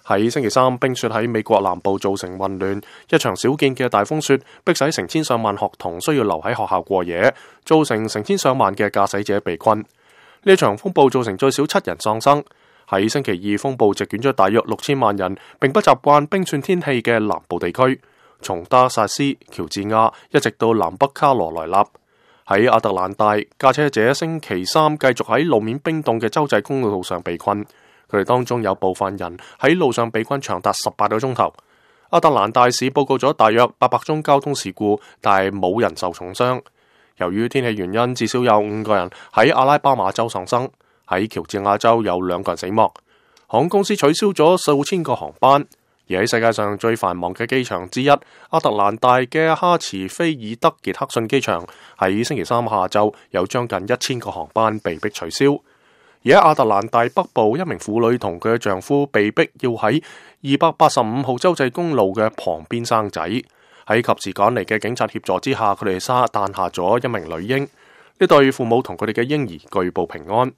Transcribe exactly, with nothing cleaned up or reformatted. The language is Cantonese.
喺星期三，冰雪喺美國南部造成混亂，一場少見嘅大風雪迫使成千上萬學童需要留喺學校過夜，造成成千上萬嘅駕駛者被困。呢場風暴造成最少七人喪生。喺星期二，風暴席捲咗大約六千萬人並不習慣冰雪天氣嘅南部地區，從德克薩斯、喬治亞一直到南北卡羅來納。喺亞特蘭大，駕車者星期三繼續喺路面冰凍嘅州際公路上被困。佢哋當中有部分人喺路上被困長達十八個鐘頭。亞特蘭大市報告咗大約八百宗交通事故，但係冇人受重傷。由於天氣原因，至少有五個人喺阿拉巴馬州喪生。喺喬治亞州有兩個人死亡。航空公司取消咗數千個航班。而喺世界上最繁忙嘅機場之一，亞特蘭大嘅哈茨菲爾德傑克遜機場喺星期三下晝有將近一千個航班被迫取消。而喺亞特蘭大北部，一名婦女同佢嘅丈夫被迫要喺二百八十五號州際公路嘅旁邊生仔。喺及時趕嚟嘅警察協助之下，佢哋生誕下咗一名女嬰。呢對父母同佢哋嘅嬰兒據報平安。